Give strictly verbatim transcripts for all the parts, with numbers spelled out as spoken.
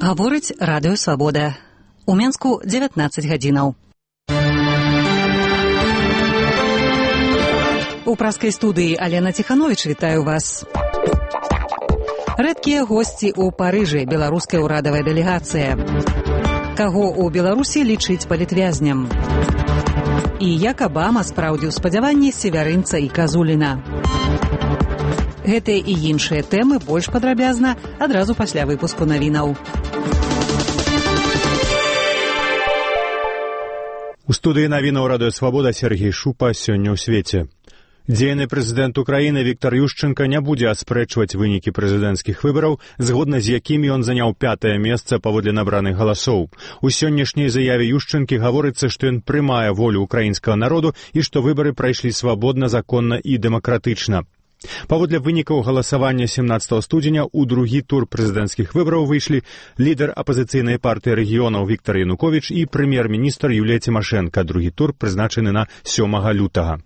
Гаворыць радыё Свабода. У Менску дзевятнаццаць гадзінаў. У праскай студыі Алена Ціхановіч вітаю вас. Рэдкія госці ў Парыжы, беларуская ўрадавая дэлегацыя. Каго ў Беларусі лічыць палітвязням? І як Абама спраўдзіў спадзяванні севярынца і Казуліна. Гэтыя і іншыя тэмы больш падрабязна адразу пасля выпуску навінаў. У студыі навінаў радыё Свабода Сергей Шупа сёння ў свеце. Дзейны прэзідэнт Украіны Віктар Ющэнка не будзе аспрэчваць вынікі прэзідэнцкіх выбараў, згодна з якімі ён заняў пятае месца паводле набраных галасоў. У сённяшняй заяве Ющэнкі гаворыцца, што ён прымае волю украінскага народу і што выбары прайшлі свабодна, законна і дэмакратычна. Паводле вынікаў галасавання семнаццатага студзеня ў другі тур прэзідэнцкіх выбараў выйшлі лідар апазіцыйнай партыі рэгіёнаў Віктар Януковіч і прэм'ер-міністр Юлія Цімашэнка. Другі тур прызначаны на сёмага лютага.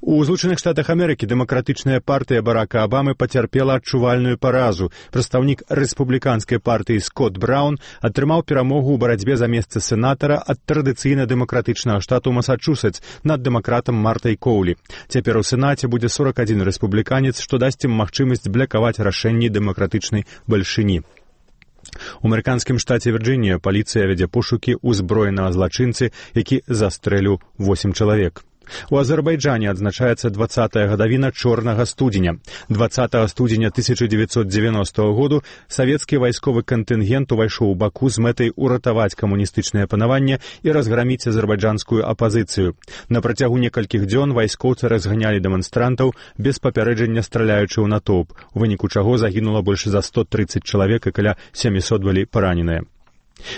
У Злучаных Штатах Амерыкі дэмакратычная партыя Барака Абамы пацярпела адчувальную паразу. Прадстаўнік рэспубліканскай партыі Скотт Браўн атрымаў перамогу ў барацьбе за месца сенатара ад традыцыйна дэмакратычнага штату Масачусетс над дэмакратам Мартай Коўлі. Цяпер у Сенаце будзе сорак адзін рэспубліканец, што дасць ім магчымасць блякаваць рашэнні дэмакратычнай бальшыні. У амерыканскім штаце Вірджынія паліцыя вядзе пошукі ўзброенага злачынцы, які застрэліў восем чалавек. У Азербайджане адзначаецца дваццатая гадавіна чорнага студзеня. дваццатага студзеня тысяча дзевяцьсот дзевяностага году савецкі вайсковы кантынгент увайшоў у Баку з мэтай уратаваць камуністычнае панаванне і разграміць азербайджанскую апазіцыю. На працягу некалькіх дзён вайскоўцы разганялі дэманстрантаў без папярэджання, страляючы ў натоўп, у выніку чаго загінула больш за сто трыццаць чалавек і каля сямісот былі параненыя.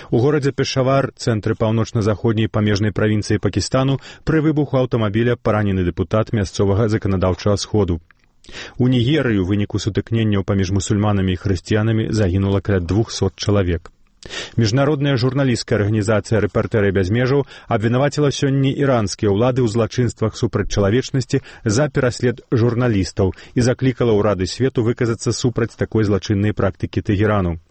У горадзе Пешавар, цэнтры паўночна-заходняй памежнай правінцыі Пакістану, пры выбуху аўтамабіля паранены дэпутат мясцовага заканадаўчага сходу. У Нігерыі ў выніку сутыкненняў паміж мусульманамі і хрысціянамі загінула каля двухсот чалавек. Міжнародная журналісцкая арганізацыя «Рэпартэры без межаў» абвінаваціла сёння іранскія ўлады ў злачынствах супраць чалавечнасці за пераслед журналістаў і заклікала ўрады свету выказацца супраць такой злачыннай практыкі Тэгерану.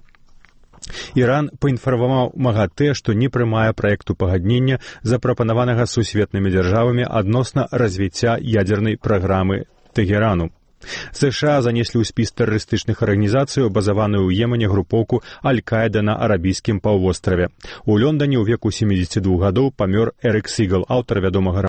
Іран паінфармаваў МАГАТЭ, што не прымае праекту пагаднення, запрапанаванага сусветнымі дзяржавамі адносна развіцця ядзернай праграмы Тэгерану. США занеслі ў спіс тэрарыстычных арганізацый, базаваную ў Йемене групоўку Аль-Каіда на арабійскім паўвостраве. У Лондоне ў веку сямідзесяці двух гадоў памёр Эрік Сігал, аўтар вядомага